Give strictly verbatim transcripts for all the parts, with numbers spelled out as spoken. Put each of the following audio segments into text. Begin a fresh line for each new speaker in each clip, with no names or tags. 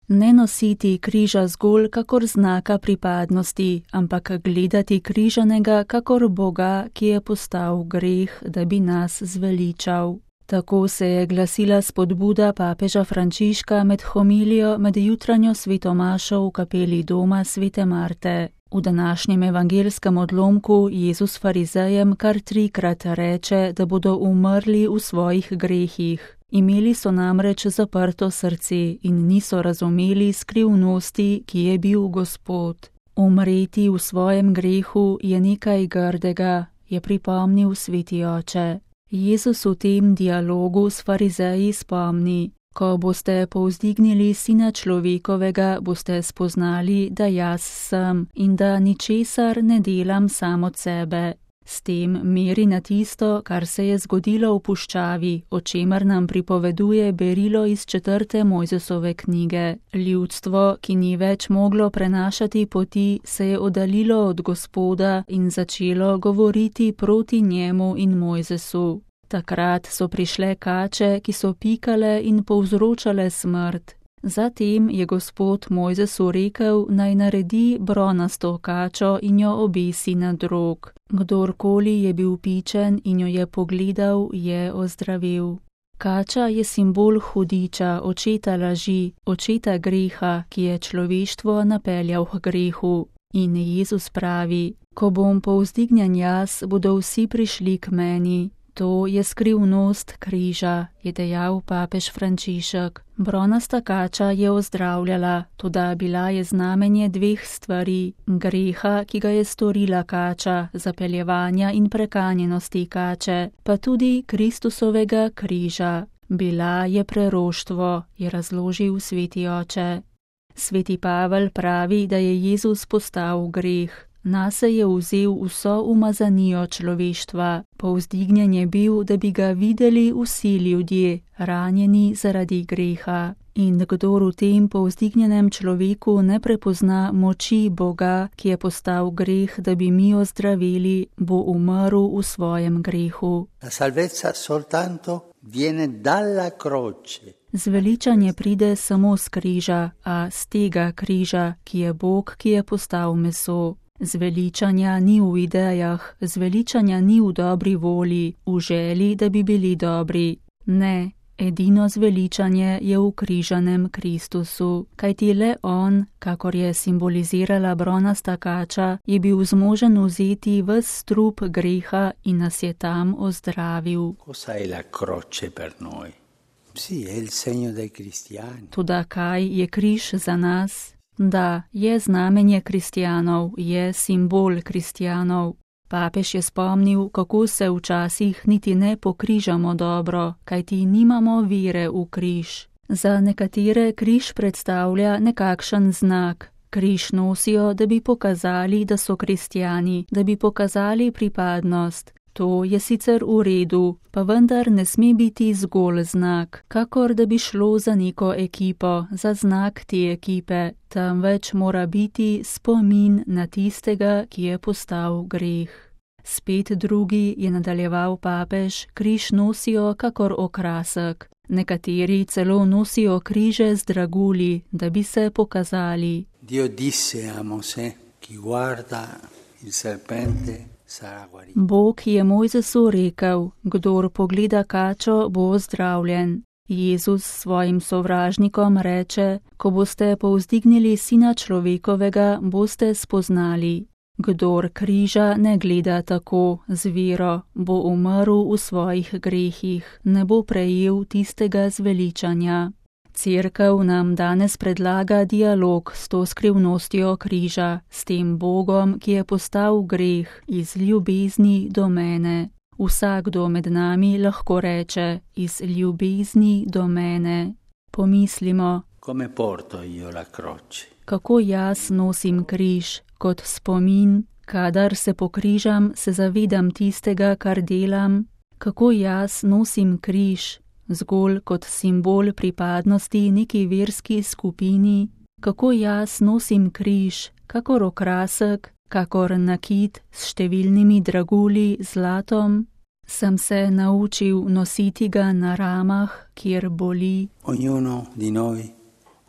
Ne nositi križa zgolj kakor znaka pripadnosti, ampak gledati križanega kakor Boga, ki je postal greh, da bi nas zveličal. Tako se je glasila spodbuda papeža Frančiška med homilijo med jutranjo svetomašo v kapeli doma svete Marte. V današnjem evangelskem odlomku Jezus farizejem kar trikrat reče, da bodo umrli v svojih grehih. Imeli so namreč zaprto srce in niso razumeli skrivnosti, ki je bil Gospod. Umreti v svojem grehu je nekaj grdega, je pripomnil sveti oče. Jezus v tem dialogu s farizeji spomni: ko boste povzdignili Sina človekovega, boste spoznali, da jaz sem in da ničesar ne delam sam od sebe. S tem meri na tisto, kar se je zgodilo v puščavi, o čemer nam pripoveduje berilo iz četrte Mojzesove knjige. Ljudstvo, ki ni več moglo prenašati poti, se je oddaljilo od Gospoda in začelo govoriti proti njemu in Mojzesu. Takrat so prišle kače, ki so pikale in povzročale smrt. Zatem je Gospod Mojzesu rekel, naj naredi bronasto kačo in jo obesi na drog. Kdorkoli je bil pičen in jo je pogledal, je ozdravil. Kača je simbol hudiča, očeta laži, očeta greha, ki je človeštvo napeljal k grehu. In Jezus pravi: ko bom povzdignjen jaz, bodo vsi prišli k meni. To je skrivnost križa, je dejal papež Frančišek. Bronasta kača je ozdravljala, toda bila je znamenje dveh stvari: greha, ki ga je storila kača, zapeljevanja in prekanjenosti kače, pa tudi Kristusovega križa. Bila je preroštvo, je razložil sveti oče. Sveti Pavel pravi, da je Jezus postal greh. Nase je vzel vso umazanijo človeštva, povzdignjen je bil, da bi ga videli vsi ljudje, ranjeni zaradi greha. In kdor v tem povzdignjenem človeku ne prepozna moči Boga, ki je postal greh, da bi mi ozdravili, bo umrl v svojem grehu.
La salvezza soltanto viene dalla croce.
Zveličanje pride samo z križa, a z tega križa, ki je Bog, ki je postal meso. Zveličanja ni v idejah, zveličanja ni v dobri volji, v želji, da bi bili dobri. Ne, edino zveličanje je v križanem Kristusu, kajti le on, kakor je simbolizirala bronasta kača, je bil zmožen vzeti ves strup greha in nas je tam ozdravil.
Cosa è la croce per noi? Sì, è il segno dei cristiani.
Toda kaj je križ za nas? Da, je znamenje kristjanov, je simbol kristjanov. Papež je spomnil, kako se včasih niti ne pokrižamo dobro, kajti nimamo vere v križ. Za nekatere križ predstavlja nekakšen znak. Križ nosijo, da bi pokazali, da so kristjani, da bi pokazali pripadnost. To je sicer v redu, pa vendar ne sme biti zgolj znak, kakor da bi šlo za neko ekipo, za znak te ekipe, temveč mora biti spomin na tistega, ki je postal greh. Spet drugi, je nadaljeval papež, križ nosijo kakor okrasek. Nekateri celo nosijo križe z dragulji, da bi se pokazali.
Dio disse a Mosè, chi guarda il serpente.
Bog je Mojzesu rekel, kdor pogleda kačo, bo ozdravljen. Jezus svojim sovražnikom reče, ko boste povzdignili Sina človekovega, boste spoznali. Kdor križa ne gleda tako, z vero, bo umrl v svojih grehih, ne bo prejel tistega zveličanja. Cerkev nam danes predlaga dialog s to skrivnostjo križa, s tem Bogom, ki je postal greh, iz ljubezni do mene. Vsakdo med nami lahko reče, iz ljubezni do mene. Pomislimo,
Come porto io la croce?
Kako jaz nosim križ, kot spomin, kadar se pokrižam, se zavedam tistega, kar delam. Kako jaz nosim križ, zgolj kot simbol pripadnosti neki verski skupini, kako jaz nosim križ, kakor okrasek, kakor nakit s številnimi dragulji zlatom, sem se naučil nositi ga na ramah, kjer boli.
Ognuno di noi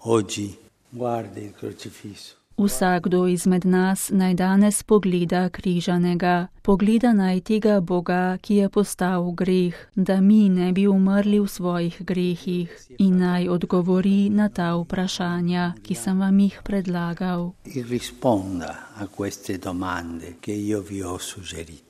oggi Guardi il crocifisso.
Vsakdo izmed nas naj danes pogleda križanega, pogleda naj tega Boga, ki je postal greh, da mi ne bi umrli v svojih grehih, in naj odgovori na ta vprašanja, ki sem vam jih predlagal.
E risponda a queste domande che io vi ho suggerito.